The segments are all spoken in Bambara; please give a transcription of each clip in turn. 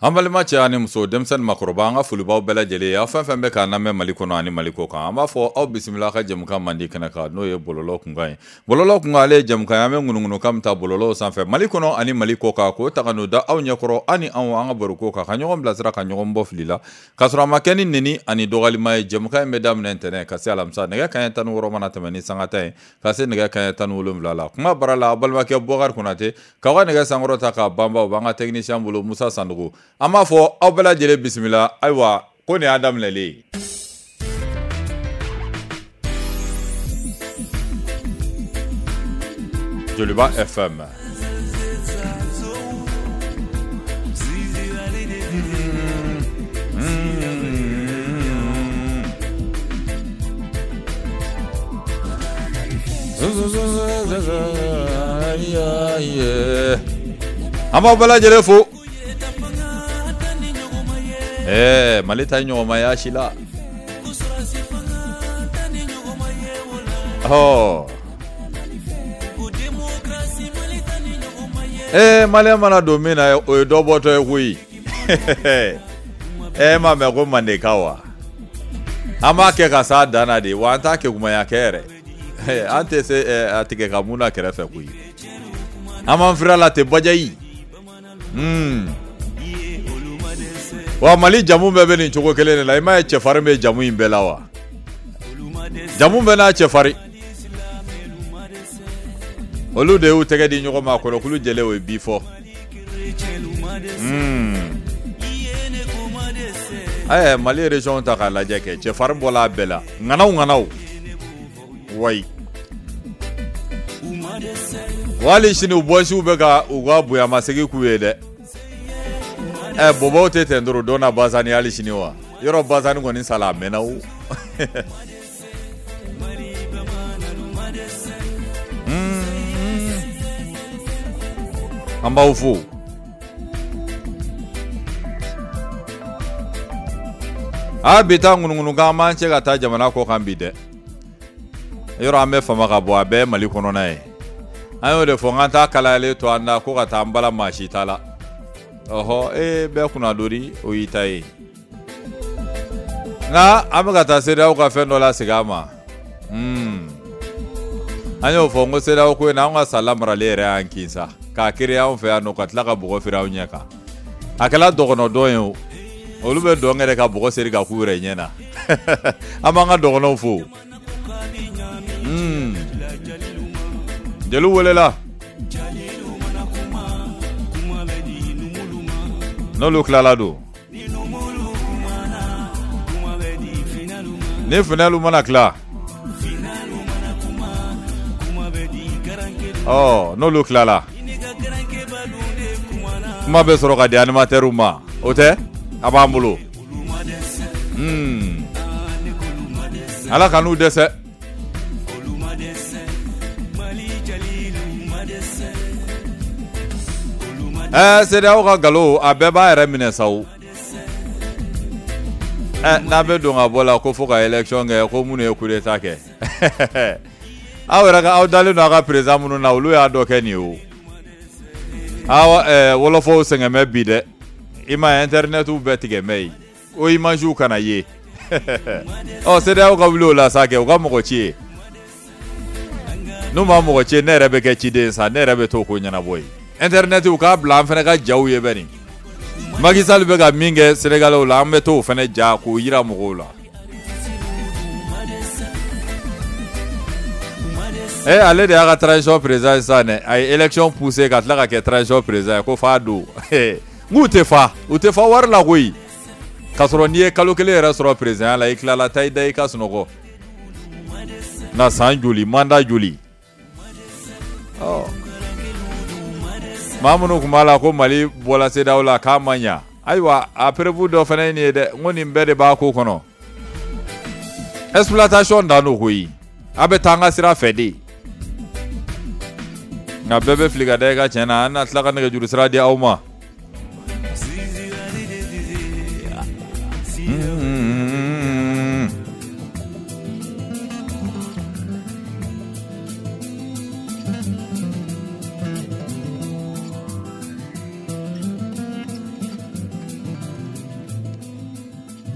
An balima cɛ ani muso, denmisɛn, makɔrɔba, an ka foli b'aw bɛɛ lajɛlen ye. Aw fɛn fɛn bɛ k'an lamɛn Mali kɔnɔ ani Mali kɔ kan, an b'a fɔ aw bisimila ka jɛmukan mandi kɛnɛ kan, n'o ye bɔlɔlɔ kunkan ye. Bɔlɔlɔ kunkan, ale ye jɛmukan ye, an bɛ ŋunuŋunukan min ta bɔlɔlɔw sanfɛ Mali kɔnɔ ani Mali kɔ kan, k'o ta ka n'o da aw ɲɛkɔrɔ, aw ni anw, an ka baroko kan, ka ɲɔgɔn bilasira, ka ɲɔgɔn bɔ fili la, k'a sɔrɔ a ma kɛ ni neni ani dɔgɔyalima ye. Jɛmukan in bɛ daminɛ ntɛnɛn ka se alamisa, nɛgɛ kanɲɛ 16 mana tɛmɛ ni sanga 10 ye, ka se nɛgɛ kanɲɛ 17 la. Kuma bara la, aw balimakɛ Bubakari Konate k'aw ka nɛgɛ sankɔrɔ ta k'a banba, o b'an ka technicien bolo Musa Sandugu. An b'a fɔ aw bɛɛ lajɛlen bisimila. Ayiwa, ko nin y'a daminɛlen ye. Joliba FM. An b'aw bɛɛ lajɛlen fo. Ɛɛ, Mali ta ɲɔgɔnmaya si la. Ɔ ee, maliyɛn mana don min na, o ye dɔ bɔtɔ ye koyi. E m'a mɛn ko mandeka wa? An b'a kɛ ka s'a dan na de wa, an t'a kɛ kumaya kɛ yɛrɛ. An tɛ se a tigɛ ka mun na kɛrɛfɛ koyi. An b'an fira la ten bajayi. Wa Mali jamu bɛɛ bɛ nin cogo kelen de la. I m'a ye cɛfarin bɛ jamu in bɛɛ la wa? Jamu bɛɛ n'a cɛfarin. Olu de y'u tɛgɛ di ɲɔgɔn ma, kɔrɔkulu jɛlen, o ye bi fɔ. Ɛɛ, Mali région ta k'a lajɛ kɛ, cɛfarin bɔla a bɛɛ la, ŋanaw ŋanaw wayi. Wa hali sini u bɔsiw bɛ ka u ka bonyamasegin k'u ye dɛ. Ɛ, bɔbɔw tɛ ten dɔrɔn don na Bazani hali sini wa? Yɔrɔ Bazani kɔni sala, a mɛnna o. An b'aw fo. A bi taa ŋunuŋunukan, an b'an cɛ ka taa jamana kɔ kan bi dɛ. Yɔrɔ an bɛ fama ka bɔ, a bɛɛ Mali kɔnɔna ye. An y'o de fɔ, n k'an t'a kalayalen to an da ko ka taa an bala maa si ta la. Ɔhɔ, e bɛɛ kunnadori, o y'i ta ye. Nka an bɛ ka taa CEDEAO ka fɛn dɔ la segin a ma. An y'o fɔ n ko CEDEAO ko in na, an ka sa lamaralen yɛrɛ y'an kin sa, k'a créer anw fɛ yan nɔ, ka tila ka bɔgɔ feere anw ɲɛ kan. A kɛla dɔgɔnɔ dɔn ye o, olu bɛ dɔn yɛrɛ ka bɔgɔ seri ka k'u yɛrɛ ɲɛ na. An b'an ka dɔgɔnɔw fo. Jeliw welela, n'olu tilala don ni finɛlu mana tila, ɔ n'olu tilala, kuma bɛ sɔrɔ ka di animatɛriw ma. O tɛ a b'an bolo. Ala ka n'u dɛsɛ. Ɛɛ, CEDEAO ka nkalon, a bɛɛ b'a yɛrɛ minɛ sa o. Ɛ, n'a bɛ don ka bɔ la ko fo ka élection kɛ, ko minnu ye coup d'état kɛ, aw yɛrɛ ka aw dalen don aw ka président minnu na, olu y'a dɔ kɛ nin ye o. Awa, ɛɛ, wɔlɔfɔw sɛgɛn bɛ bi dɛ. I ma ye internetw bɛɛ tigɛ mɛ yen o, imagew kana ye. Ɔ, CEDEAO ka wuli o la sa kɛ, u ka mɔgɔ ci ye. N'u ma mɔgɔ ci, ne yɛrɛ bɛ kɛ ciden sa, ne yɛrɛ bɛ t'o ko ɲɛnabɔ ye. Internet, u k'a bila, an fana ka jaw ye bɛ nin. Macky Sall bɛ ka min kɛ Sénégalais la, an bɛ t'o fana ja k'o yira mɔgɔw la. Eh, ale de y'a ka transition président ye sisan dɛ. A ye élection poussé ka tila ka kɛ transition président ye ko f'a don. N k'u tɛ fa, u tɛ fa wari la koyi. K'a sɔrɔ n'i ye kalo kelen yɛrɛ sɔrɔ président la, i tilala, taa i da i ka sunɔgɔ. Na san joli, mandat joli? Ɔ, maa minnu tun b'a la ko Mali bɔla CEDEAO la k'a ma ɲa, ayiwa, a preuve dɔ fana ye nin ye dɛ. N ko nin bɛɛ de b'a ko kɔnɔ. Exploitation dan don koyi. A bɛ taa an ka sira fɛ de, nka bɛɛ bɛ fili ka da i ka tiɲɛ na. An na tila ka nɛgɛjuru sira di aw ma.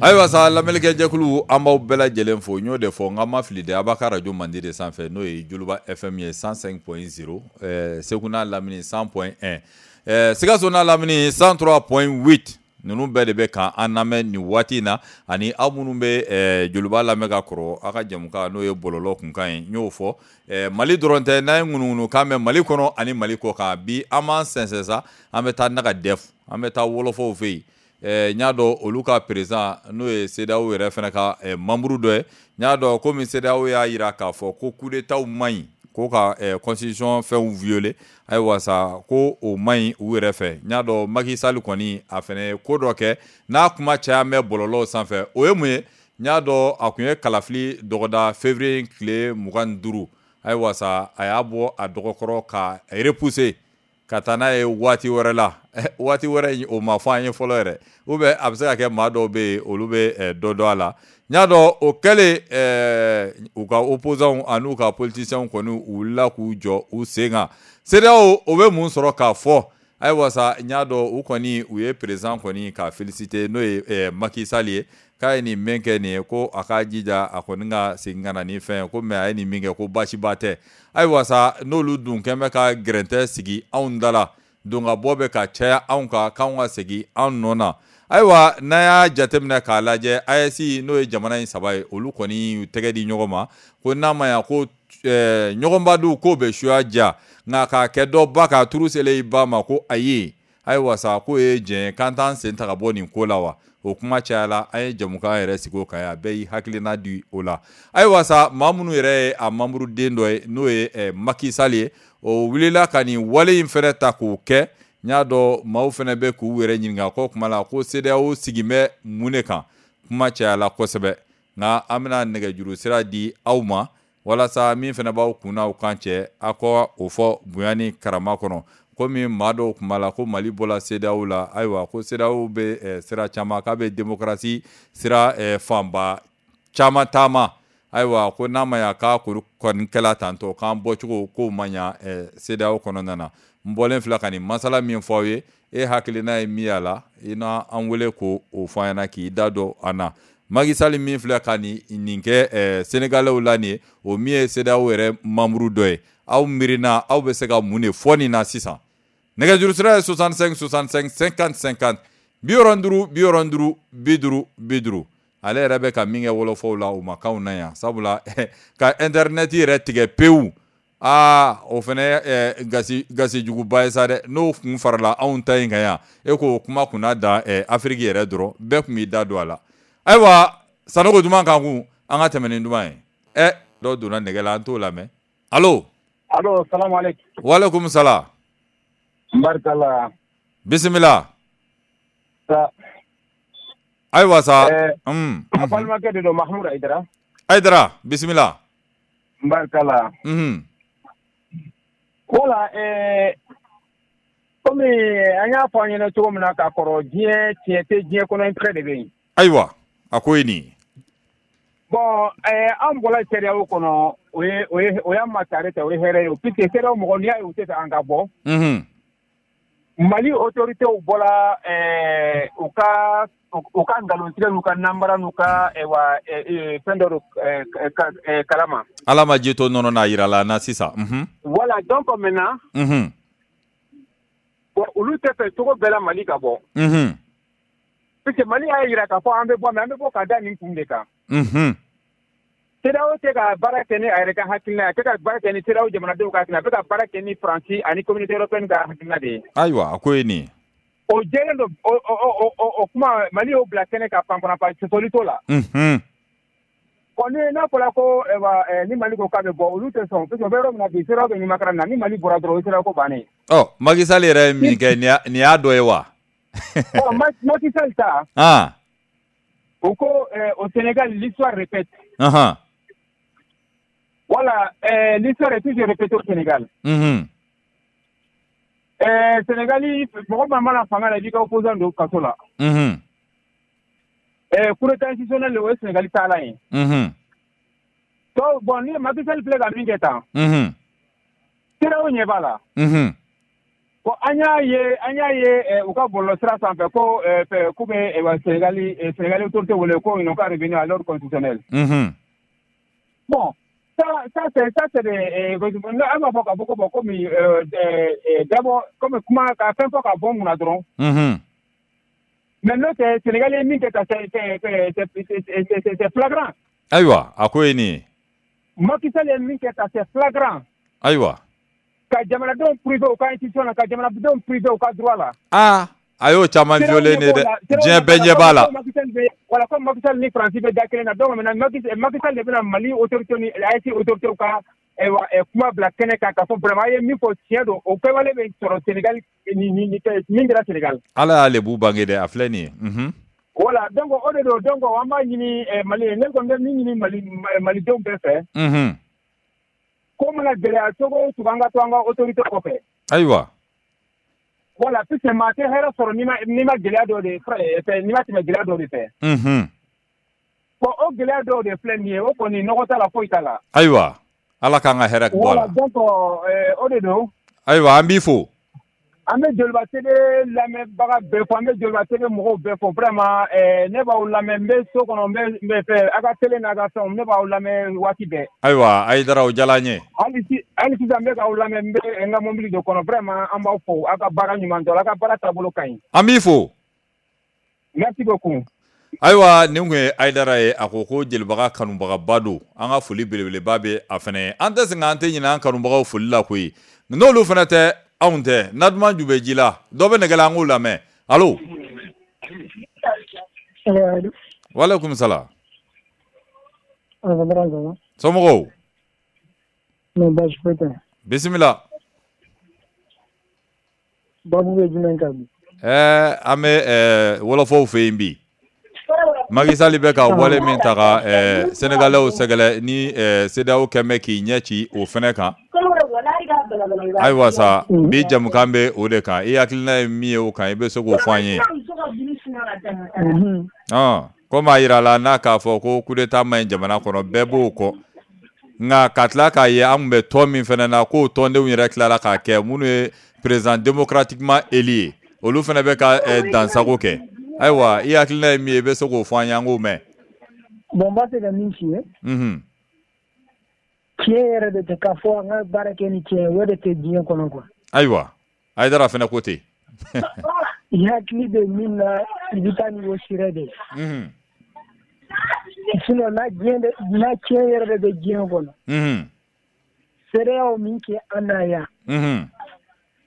Ayiwa sa, lamɛnnikɛjɛkulu, an b'aw bɛɛ lajɛlen fo. N y'o de fɔ n k'an ma fili dɛ, a b'a ka radio mandi de sanfɛ, n'o ye Joliba FM ye 105.0, Segu n'a lamini 100.1, Sikaso n'a lamini 103.8. Ninnu bɛɛ de bɛ kan an lamɛn nin waati in na. Ani aw minnu bɛ Joliba lamɛn ka kɔrɔ, aw ka jɛmukan n'o ye bɔlɔlɔ kunkan ye, n y'o fɔ, Mali dɔrɔn tɛ, n'an ye ŋunuŋunukan mɛn Mali kɔnɔ ani Mali kɔ kan. Bi an b'an sɛnsɛn sa, an bɛ taa Naga Def, an bɛ taa wɔlɔfɔw fɛ yen. N y'a dɔn olu ka président, n'o ye CEDEAO yɛrɛ fana ka membre dɔ ye, n y'a dɔn komi CEDEAO y'a jira k'a fɔ ko coup d'État man ɲi, ko ka constitution fɛnw violer, ayiwa sa, ko o man ɲi u yɛrɛ fɛ. N y'a dɔn Macky Sall kɔni, a fana ye ko dɔ kɛ n'a kuma caya bɛ bɔlɔlɔw sanfɛ. O ye mun ye? N y'a dɔn a tun ye kalafili dɔgɔda février tile 25. Ayiwa sa, a y'a bɔ a dɔgɔkɔrɔ ka repousser ka taa n'a ye waati wɛrɛ la. Waati wɛrɛ, o ma fɔ an ye fɔlɔ yɛrɛ, ou bien a bɛ se ka kɛ maa dɔw bɛ yen, olu bɛ dɔ dɔn a la. N y'a dɔn o kɛlen, u ka opposants an'u ka politiciens kɔni, u wulila k'u jɔ u sen kan. CEDEAO, o bɛ mun sɔrɔ k'a fɔ? Ayiwa sa, n y'a dɔn u kɔni, u ye président kɔni ka féliciter, n'o ye Macky Sall ye, k'a ye nin min kɛ nin ye, ko a k'a jija, a kɔni ka segin ka na ni fɛn ye, ko mais a ye nin min kɛ, ko baasiba tɛ. Ayiwa sa, n'olu dun kɛn bɛ ka gɛrɛntɛ sigi anw da la, don ka bɔ bɛ ka caya anw kan, k'anw ka segin an nɔ na. Ayiwa, n'an y'a jateminɛ k'a lajɛ, AES, n'o ye jamana in saba ye, olu kɔni y'u tɛgɛ di ɲɔgɔn ma, ko n'a ma ɲa ko ɲɔgɔnba k'o bɛ suya diya, nka k'a kɛ dɔ ba k'a turu selen i ba ma, ko ayi. Ayiwa sa, k'o ye diɲɛ ye, k'an t'an sen ta ka bɔ nin ko la wa? O kuma cayala, an ye jamukan yɛrɛ sigi o kan yan, bɛɛ y'i hakilina di o la. Ayiwa sa, maa minnu yɛrɛ ye a membre den dɔ ye, n'o ye Macky Sall ye, o wulila ka nin wale in fɛnɛ ta k'o kɛ. N y'a dɔn maaw fɛnɛ bɛ k'u yɛrɛ ɲininka ko kuma la ko CEDEAO sigin bɛ mun de kan. Kuma cayala kosɛbɛ, nka an bɛna nɛgɛjuru sira di aw ma walasa min fɛnɛ b'aw kun n'aw kan cɛ, aw ka o fɔ bonya ni karama kɔnɔ. Komi maa dɔw tun b'a la ko Mali bɔla CEDEAO la, ayiwa, ko CEDEAO bɛ sira caman, k'a bɛ démocratie sira fanba caman taama. Ayiwa, ko n'a ma ɲa k'a kɔni kɛla tantɔ, k'an bɔcogo k'o ma ɲa CEDEAO kɔnɔna na. N bɔlen filɛ ka nin masala min fɔ aw ye, e hakilina ye min y'a la, i na an wele k'o fɔ an ɲɛna, k'i da don an na. Macky Sall min filɛ ka nin kɛ Sénégalais la nin ye, o min ye CEDEAO yɛrɛ membre dɔ ye, aw miirina, aw bɛ se ka mun de fɔ nin na sisan? Nɛgɛjuru sira ye 65 65 50 50, 65 65 50 50. Ale yɛrɛ bɛ ka min kɛ wɔlɔfɔw la, o ma k'anw na yan, sabula ka internet yɛrɛ tigɛ pewu, aa, o fana gasi gasijuguba ye sa dɛ. N'o kun farala anw ta in kan yan, e k'o kuma kunna da Afiriki yɛrɛ dɔrɔn, bɛɛ tun b'i da don a la. Ayiwa, Sanogo duman kan kun, an ka tɛmɛ ni duman ye. Ɛ, dɔ donna nɛgɛ la, an t'o lamɛn. Allo? Allo, salam aleykum. Waaleykum salam. Barikala. Bisimila. Ayiwa sa. A balimakɛ de don, Mahmoud Aïdara. Aïdara, bisimila. Barikala. Voilà, komi an y'a fɔ an ɲɛna cogo min na k'a kɔrɔ, diɲɛ tiɲɛ tɛ diɲɛ kɔnɔ, intérêt de bɛ yen. Ayiwa, a ko ye nin ye. Bon, an bɔra CEDEAO kɔnɔ, o y'an ma tare ta, o ye hɛrɛ ye, puisque CEDEAO mɔgɔ, n'i y'a ye u tɛ fɛ an ka bɔ. Mali autorités bɔra u ka nkalontigɛ n'u ka nanbara n'u ka wa fɛn dɔ kalama. Ala ma ji to nɔnɔ n'a yira la na sisan. Voilà, donc maintenant. Bon, olu tɛ fɛ cogo bɛɛ la Mali ka bɔ. Puisque Mali y'a jira k'a fɔ an bɛ bɔ, mais an bɛ bɔ ka da nin kun de kan. CEDEAO tɛ ka baara kɛ ni a yɛrɛ ka hakilina ye, a tɛ ka baara kɛ ni CEDEAO jamanadenw ka hakilina, a bɛ ka baara kɛ ni Faransi ani Communauté européenne ka hakilina de ye. Ayiwa, a ko ye nin ye. O jɛlen don, o kuma, Mali y'o bila kɛnɛ kan panpanpan, sɔsɔli t'o la. Bon, ni n'a fɔra ko ni Mali ko k'a bɛ bɔ, olu tɛ sɔn, parce que u bɛ yɔrɔ min na bi, CEDEAO bɛ ɲuman na, ni Mali bɔra dɔrɔn, o ye CEDEAO ko bannen ye. Ɔ, Macky Sall yɛrɛ ye min kɛ, nin y'a dɔ ye wa? Ɔ, Macky Sall ta. O ko au Sénégal, l'histoire répète. Voilà, l'histoire est toujours répétée au Sénégal. Sénégal, mɔgɔ maa mana fanga la, i b'i ka opposant don kaso la. Coup d'état institutionnel, o ye Sénégal taalan ye. Donc bon, ni Macky Sall filɛ ka min kɛ tan. CEDEAO ɲɛ b'a la. Bon, an y'a ye u ka bɔlɔlɔsira sanfɛ ko k'u bɛ Sénégal autorité wele ko ils n'ont qu'à revenir à l'ordre constitutionnel. Bon, ça c'est des an b'a fɔ k'a fɔ ko bon komi d'abord comme kuma ka fɛn fɔ ka bɔ n kunna dɔrɔn. Mais n'o tɛ Sénégal ye min kɛ tan, c'est flagrant. Ayiwa, a ko ye nin ye. Macky Sall ye min kɛ tan, c'est flagrant. Ayiwa. Ka jamanadenw privé u ka institution na, ka jamanadenw privé u ka droit la. Ah, a y'o caman violé ne dɛ, diɲɛ bɛɛ ɲɛ b'a la. Voilà, comme Macky Sall ni Faransi bɛ da kelen na, donc maintenant Macky Sall de bɛna Mali autorité ni AES autorité ka kuma bila kɛnɛ kan k'a fɔ vraiment a ye min fɔ tiɲɛ don, o kɛwale bɛ sɔrɔ Sénégal ni min kɛra Sénégal. Ala y'ale b'u bange dɛ, a filɛ nin ye. Voilà, donc o de don, donc an b'a ɲini Mali, ne kɔni bɛ min ɲini Malidenw bɛɛ fɛ. Ko mana gɛlɛya cogo o cogo, an ka to an ka autorité kɔfɛ. Ayiwa. Voilà, puisque maa tɛ hɛrɛ sɔrɔ n'i ma gɛlɛya dɔ de fɛ, n'i ma tɛmɛ gɛlɛya dɔ de fɛ. Bon, o gɛlɛya dɔw de filɛ nin ye, o kɔni nɔgɔ t'a la, foyi t'a la. Ayiwa, Ala k'an ka hɛrɛ bɔ a la. Voilà, donc o de don. Ayiwa, an b'i fo. An bɛ Joliba TV lamɛnbaga bɛɛ fo, an bɛ Joliba TV mɔgɔw bɛɛ fo, vraiment ne b'aw lamɛn, n bɛ so kɔnɔ, n bɛ fɛ a ka télé n'a ka fɛnw, ne b'aw lamɛn waati bɛɛ. Ayiwa, Ayidara, o diyara n ye. Hali sisan n bɛ k'aw lamɛn, n bɛ n ka mobili de kɔnɔ, vraiment an b'aw fo, aw ka baara ɲuman dɔn, aw ka baara taabolo ka ɲi. An b'i fo. Merci beaucoup. Ayiwa, nin kun ye Ayidara ye, a ko ko jelibaga kanubagaba don, an ka foli belebeleba bɛ a fana ye. An tɛ sɛgɛn, an tɛ ɲinɛ an kanubagaw foli la koyi, n'olu fana tɛ anw tɛ. Na duman ju bɛ ji la, dɔ bɛ nɛgɛ la, an k'o lamɛn. Allo. Walekum salam. Somɔgɔw. Bisimila. Babu bɛ jumɛn kan bi? An bɛ wɔlɔfɔw fɛ yen bi. Macky Sall bɛ ka wale min ta ka Sénégalais sɛgɛrɛ ni CEDEAO kɛn bɛ k'i ɲɛ ci o fɛnɛ kan. Ayiwa sa, bi jamukan bɛ o de kan. I hakilina ye min ye o kan, i bɛ se k'o fɔ an ye. Komi a yira la n'a k'a fɔ ko coup d'état man ɲi jamana kɔnɔ, bɛɛ b'o kɔ. Nka ka tila k'a ye an tun bɛ tɔn min fɛnɛ na, k'o tɔndenw yɛrɛ tilala k'a kɛ minnu ye président démocratiquement élu ye, olu fɛnɛ bɛ ka dansago kɛ. Ayiwa, i hakilina ye min ye, i bɛ se k'o fɔ an ye, an k'o mɛn. Bon, n b'a fɛ ka min f'i ye. Tiɲɛ yɛrɛ de tɛ k'a fɔ an ka baara kɛ ni tiɲɛ ye, o de tɛ diɲɛ kɔnɔ quoi. Ayiwa, Ayidara fɛnɛ ko ten. I hakili bɛ min na, i bɛ taa ni o sira de ye. Sinon n'a tiɲɛ yɛrɛ de bɛ diɲɛ kɔnɔ. CEDEAO min kɛ an na yan.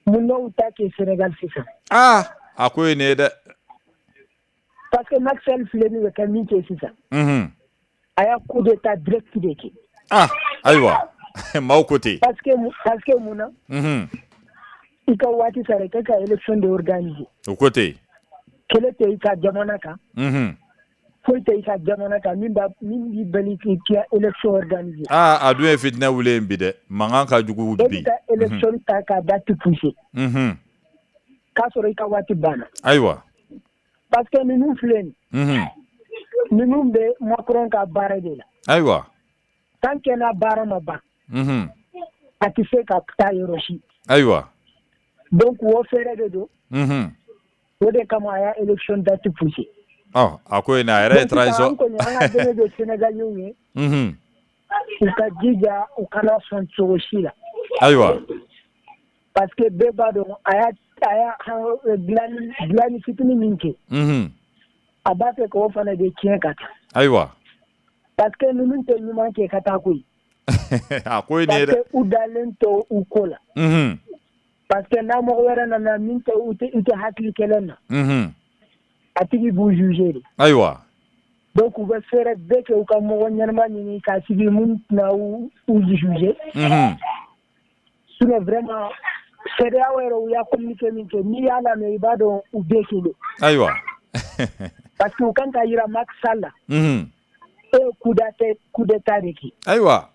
Mun n'aw ta kɛ Sénégal sisan. Aa, a ko ye nin ye dɛ. Parce que Macky Sall filɛ nin ye ka min kɛ sisan. A y'a coup d'état direct de kɛ. Ah, ayiwa, maaw ko ten. Parce que mun na. I ka waati sara, i ka élection de organiser. O ko ten. Kɛlɛ tɛ i ka jamana kan. Foyi tɛ i ka jamana kan min b'i bali k'i ka élection organiser. Ah, a dun ye fitinɛ wuli yen bi dɛ, mankan ka jugu bi. E bɛ ka élection ta k'a date pousser. K'a sɔrɔ i ka waati banna. Ayiwa. Parce que ninnu filɛ nin. Ninnu bɛ Macron ka baara de la. Ayiwa. Tant que n'a baara ma ban. A tɛ se ka taa yɔrɔ si. Ayiwa. Donc o fɛɛrɛ de don. O de kama a y'a élection date pousser. Ɔ, a ko in a yɛrɛ ye transition. An kɔni an ka dɛmɛ bɛ Sénégalais ye. U ka jija, u kana sɔn cogo si la. Ayiwa. Parce que bɛɛ b'a dɔn a y'a dilanni fitinin min kɛ. A b'a fɛ k'o fana de tiɲɛ ka taa. Ayiwa. Parce que ninnu tɛ ɲuman kɛ ka taa koyi. A ko ye nin ye dɛ. Parce que u dalen to u ko la. Parce que n'a mɔgɔ wɛrɛ nana min tɛ u tɛ hakili kelen na. A tigi b'u juger de. Ayiwa. Donc u bɛ fɛɛrɛ bɛɛ kɛ u ka mɔgɔ ɲɛnama ɲini k'a sigi mun tɛna u juger. Sinon vraiment CEDEAO yɛrɛ u y'a communiqué min kɛ, n'i y'a lamɛn i b'a dɔn u bɛɛ kelen. Ayiwa. Parce que u kan ka yira Macky Sall la. E ye coup d'état de kɛ. Ayiwa.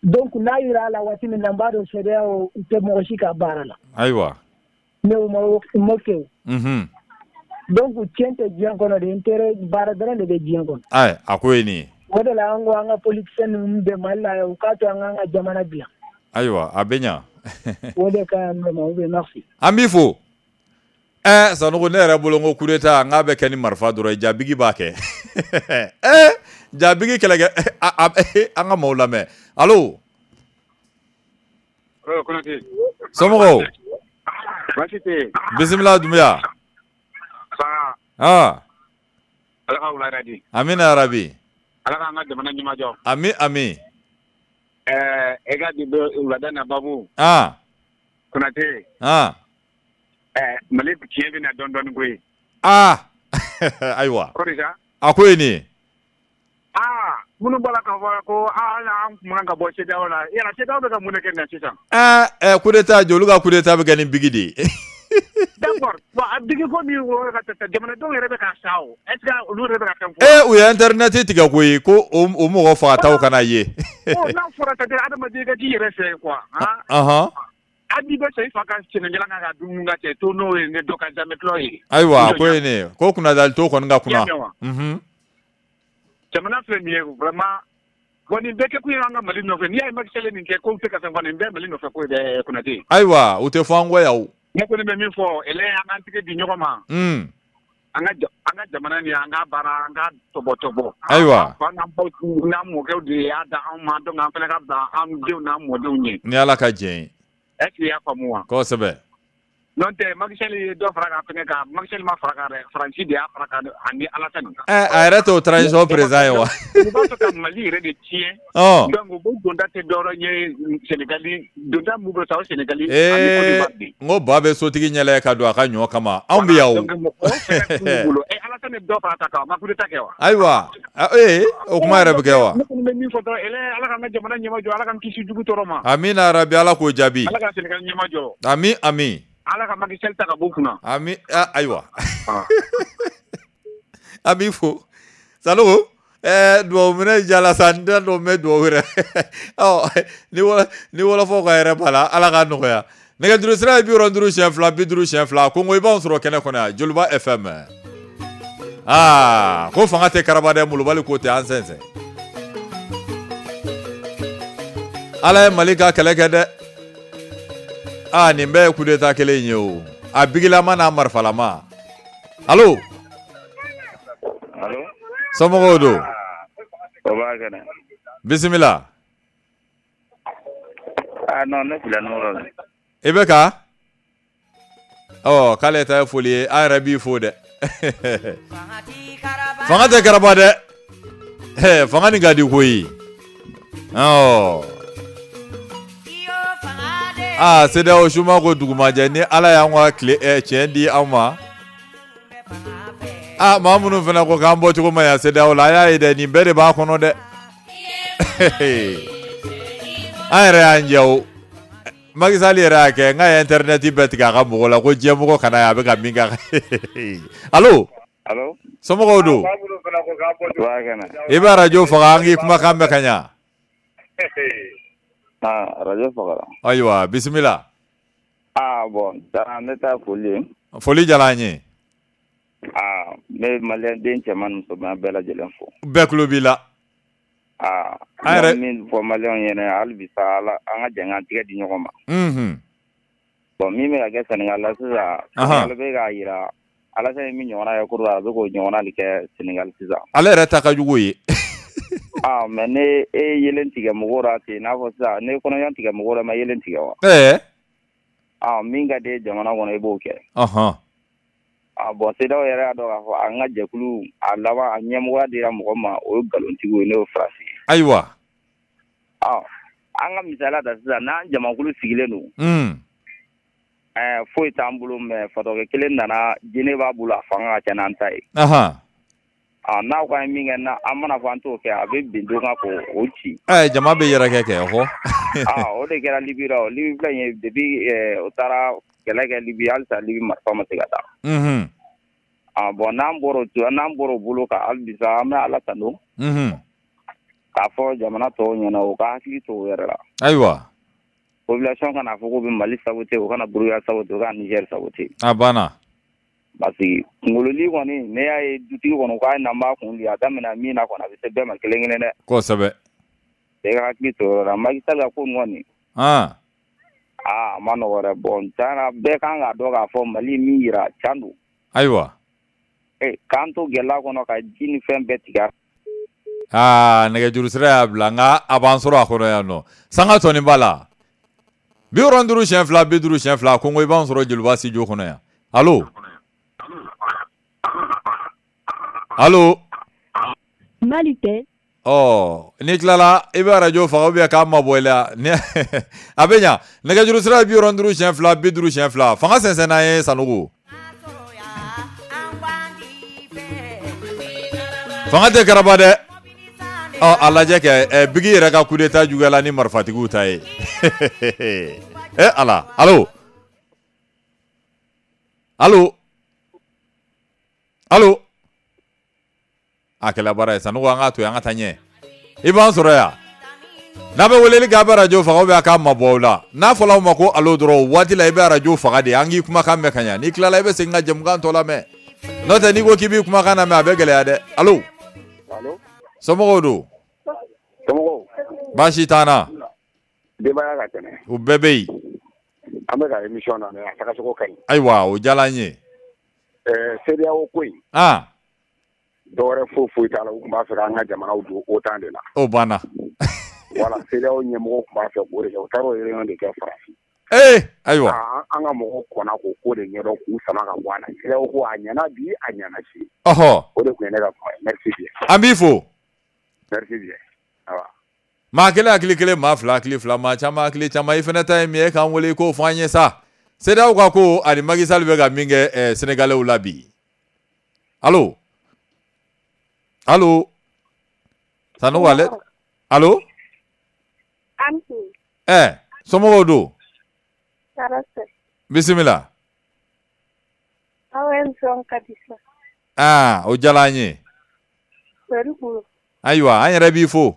Donc n'a yira a la waati min na, n b'a dɔn CEDEAO u tɛ mɔgɔ si ka baara la. Ayiwa. Mais u ma kɛ o. Donc tiɲɛ tɛ diɲɛ kɔnɔ de, intérêt baara dɔrɔn de bɛ diɲɛ kɔnɔ. Ayi, a ko ye nin ye. O de la an ko an ka politicien ninnu bɛ Mali la, u k'a to an k'an ka jamana dilan. Ayiwa, a bɛ ɲa. O de ka ɲi vraiment, oui, merci. An b'i fo. Sanogo, ne yɛrɛ bolo, n ko coup d'état n k'a bɛ kɛ ni marifa dɔrɔn ye, jabigi b'a kɛ. Jabigi kɛlɛkɛ, an ka maaw lamɛn. Allo? Konate. Somɔgɔw? Baasi tɛ yen. Bisimila, Dunbuya. Sa. Ah. Ala ka wula hɛrɛ di. Amina yarabi. Ala k'an ka jamana ɲɛmajɔ. Ami, ami. E ka bi wulada na babu. Ah. Konate. Ah. Mali tiɲɛ bɛ na dɔɔni dɔɔni koyi. Ah. Ayiwa. Kɔri sa? A ko ye nin ye. Aa, minnu bɔra k'a fɔ ko aa, an kun man ka bɔ CEDEAO la, yala CEDEAO bɛ ka mun de kɛ nin na sisan? Coup d'état joli ka coup d'état bɛ kɛ ni bigi de ye. D'accord, bon, a bigi ko min wɔrɔ ka tɛ, jamanadenw yɛrɛ bɛ ka sa o, est ce que olu yɛrɛ bɛ ka fɛn fɔ? U ye internet tigɛ koyi, ko o mɔgɔ fagataw kana ye. Ɔ, n'a fɔra ka kɛ adamaden ka t'i yɛrɛ fɛ quoi, han. Hali n'i bɛ sɔn i fa ka sɛnɛjalan kan ka dumuni ka cɛ to n'o ye, ne dɔ ka zamɛ ye. Ayiwa, ko ye nin ye ko kunnadali to kɔni ka kunna. I y'a mɛn wa? Jamana filɛ nin ye vraiment, bon, nin bɛɛ kɛ kun ye an ka Mali nɔfɛ. N'i y'a ye Macky Sall ye nin kɛ ko tɛ ka fɛn fɔ, nin bɛɛ Mali nɔfɛ ko ye dɛ, Konate. Ayiwa, u tɛ fɔ an kɔ yan o. Ne kɔni bɛ min fɔ, ele, an k'an tigɛ di ɲɔgɔn ma. An ka jamana nin, an ka baara, an ka tɔbɔtɔbɔ. Ayiwa. Fa n'an baw n'an mɔkɛw de y'a da anw ma, donc an fana ka bila an denw n'an mɔdenw ɲɛ. Ni Ala ka jɛn ye. Est ce que i y'a faamu wa? Kosɛbɛ. N'o tɛ, Macky Sall ye dɔ fara kan fɛngɛ kan, Macky Sall ma fara kan dɛ, Faransi de y'a fara kan ani Alassane. A yɛrɛ t'o transition président ye wa? U b'a fɛ ka Mali yɛrɛ de tiɲɛ. Donc u b'u donda tɛ dɔwɛrɛ ye Sénégali, donda mun bɛ taa o Sénégali ani Côte d'Ivoire de. N ko ba bɛ sotigi ɲɛlɛ ka don a ka ɲɔ kama, anw bɛ yan o. Donc mɔgɔw fɛnɛ t'u bolo. Alassane ye dɔ fara ta kan, a ma coup d'état kɛ wa? Ayiwa, o kuma yɛrɛ bɛ kɛ wa? Ne kɔni bɛ min fɔ dɔrɔn, ele, Ala k'an ka jamana ɲɛmajɔ, Ala k'an kisi jugu tɔɔrɔ ma. Amina rabi, Ala k'o jaabi. Ala ka Sénégal ɲɛmajɔ. Ami, ami. Ala ka Macky Sall ta ka bɔ kunna. Ami, ayiwa. An b'i fo. Sanogo, duwawu minɛ jala sa, n t'a dɔn n bɛ duwawu yɛrɛ. Ɔ, ni wɔlɔfɔw ka yɛrɛ b'a la, Ala k'a nɔgɔya. Nɛgɛjuru sira ye 52 52, Kongo i b'anw sɔrɔ kɛnɛ kɔnɔ yan, Joliba FM. Aa, ko fanga tɛ karaba dɛ, molobali ko tɛ, an sɛnsɛn. Ala ye Mali ka kɛlɛ kɛ dɛ. Aa, nin bɛɛ ye coup d'état kelen ye o. A bigilama n'a marifalama. Allo? Allo? Somɔgɔw don? O b'a kɛnɛ. Bisimila. Ah non, ne filɛ numéro la. I bɛ ka? Ɔ, k'ale ta ye foli ye, an yɛrɛ b'i fo dɛ. Fanga tɛ karaba dɛ. Fanga nin ka di koyi. Ɔ. Aa, CEDEAO suma ko dugumajɛ, ni Ala y'an ka tile tiɲɛ di anw ma. Aa, maa minnu fana ko k'an bɔ cogo ma yan CEDEAO la, a y'a ye dɛ, nin bɛɛ de b'a kɔnɔ dɛ. An yɛrɛ y'an jɛ o. Macky Sall yɛrɛ y'a kɛ, n k'a ye internet bɛɛ tigɛ a ka mɔgɔ la, ko diɲɛmɔgɔ kana ye a bɛ ka min kɛ. Allo? Allo? Somɔgɔw don? I bɛ arajo faga, an k'i kumakan mɛn ka ɲa. Ah, arajo fagara. Ayiwa, bisimila. Ah bon, ne ta foli ye. Foli diyara an ye. Ah, n bɛ maliyɛn den cɛman ni musoman bɛɛ lajɛlen fo. Bɛɛ tulo b'i la. Ah, an yɛrɛ min fɔ maliyɛnw ɲɛna hali bi sa, Ala an ka jɛ k'an tigɛ di ɲɔgɔn ma. Bon, min bɛ ka kɛ Sénégal la sisan, Sénégal bɛ k'a jira Alassane ye min ɲɔgɔnna kɛ Côte d'Ivoire, a bɛ k'o ɲɔgɔnna de kɛ Sénégal sisan. Ale yɛrɛ ta ka jugu ye. Ah, mais ne e ye yelen tigɛ mɔgɔw la ten, n'a fɔ sisan ne kɔnɔɲɔ tigɛ mɔgɔw la, ma yelen tigɛ wa? Ah, min ka di jamana kɔnɔ, i b'o kɛ. Ah bon, CEDEAO yɛrɛ y'a dɔn k'a fɔ an ka jɛkulu a laban a ɲɛmɔgɔya dira mɔgɔ ma, o ye nkalontigiw ye, n'o ye Faransi ye. Ayiwa. Ah, an ka misaliya ta sisan, n'an jamakulu sigilen don. Foyi t'an bolo, mais fatɔkɛ kelen nana, jinɛ b'a bolo, a fanga ka ca n'an ta ye. Ah, n'aw ka min kɛ, an mana fɔ an t'o kɛ, a bɛ bin don kan k'o ci. Jama bɛ yɛrɛkɛ kɛ, hɔ. Ah, o de kɛra Libi la o. Libi filɛ nin ye, depuis o taara kɛlɛ kɛ Libi, halisa Libi marifa ma se ka taa. Ah bon, n'an bɔra o bolo kan hali bi sa, an bɛ Ala tanu. K'a fɔ jamana tɔw ɲɛna, u ka hakili to u yɛrɛ la. Ayiwa. Population kana fɔ k'u bɛ Mali saboter, u kana Burukina saboter, u kana Niger saboter. A banna. Parce que kunkololi kɔni, ne y'a ye dutigi kɔnɔ k'a ye na n b'a kun di, a daminɛ min na kɔni, a bɛ se bɛɛ ma kelen kelen dɛ. Kosɛbɛ. Bɛɛ ka hakili to o yɔrɔ la. Macky Sall ka ko nin kɔni. Aa a ma nɔgɔ dɛ. Bon tiɲɛ bɛɛ kan k'a dɔn k'a fɔ Mali min yira can don. Ayiwa. K'an to gɛlɛya kɔnɔ ka ji ni fɛn bɛɛ tigɛ. Aa nɛgɛjuru sira y'a bila nka a b'an sɔrɔ a kɔnɔ yan nɔ. Sanga tɔnin b'a la. 52 50 2 ko i b'an sɔrɔ Joliba studio kɔnɔ yan. Allo. Allo. Malitel. Ɔ n'i tilala i bɛ arajo faga ou bien k'a mabɔ i la a bɛ ɲa. Nɛgɛjuru sira ye 52 50 2. Fanga sɛnsɛn n'an ye Sanogo. Fanga tɛ karaba dɛ. Ɔ a lajɛ kɛ Bigi yɛrɛ ka coup d'état juguyala ni marifatigiw ta ye. Ala. Allo. Allo. Allo. A kɛla baara ye Sanogo, an k'a to yen, an ka taa ɲɛ. I b'an sɔrɔ yan. N'a bɛ weleli kɛ a bɛ arajo faga ou bien a k'a mabɔ aw la. N'a fɔla aw ma ko allo dɔrɔn o waati la i bɛ arajo faga de, an k'i kumakan mɛn ka ɲa. N'i tilala i bɛ segin ka jɛmukan tɔ lamɛn. N'o tɛ n'i ko k'i b'i kumakan lamɛn a bɛ gɛlɛya dɛ. Allo. Allo. Somɔgɔw don? Somɔgɔw. Baasi t'an na. Denbaya ka kɛnɛ. U bɛɛ bɛ yen. An bɛ ka émission lamɛn, a tagacogo ka ɲi. Ayiwa, o diyara an ye. CEDEAO ko in. Ah. Dɔwɛrɛ foyi foyi t'a la, u tun b'a fɛ k'an ka jamanaw don OTAN de la. O banna. Voilà, CEDEAO ɲɛmɔgɔw tun b'a fɛ k'o de kɛ, u taara o réunion de kɛ Faransi. Ayiwa. An ka mɔgɔw kɔnna k'o ko de ɲɛdɔn k'u sama ka bɔ a la. CEDEAO ko a ɲɛna bi, a ɲɛna sini. Ɔhɔ. O de tun ye ne ka kuma ye. Merci bien. An b'i fo. Merci bien. Awa. Maa kelen hakili kelen, maa fila hakili fila, maa caman hakili caman. I fana ta ye min ye k'an wele i k'o fɔ an ye sa. CEDEAO ka ko ani Macky Sall bɛ ka min kɛ Sénégalais la bi. Allo. Allo. Sanogo ale. Allo. Somɔgɔw don? Bisimila. Aw émission ka di sa. Aa o diyara an ye. Ayiwa an yɛrɛ b'i fo.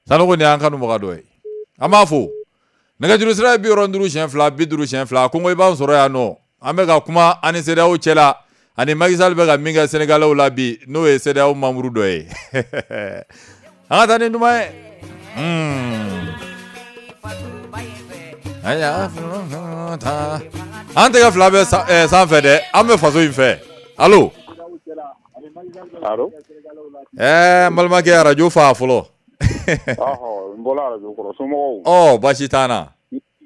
Sanogo nin y'an kanubaga dɔ ye. An b'a fo. Nɛgɛjuru sira ye 52 50 2 ko i b'an sɔrɔ yan nɔ. An bɛ ka kuma ani CEDEAO cɛ la. Ani Macky Sall bɛ ka min kɛ Sénégalais la bi n'o ye CEDEAO membre dɔ ye. An ka taa ni duman ye. An tɛgɛ fila bɛ sanfɛ dɛ, an bɛ faso in fɛ. Allo. Allo. N balimakɛ arajo fa fɔlɔ. Ɔhɔ, n bɔra arajo kɔrɔ, somɔgɔw? Ɔ baasi t'an na.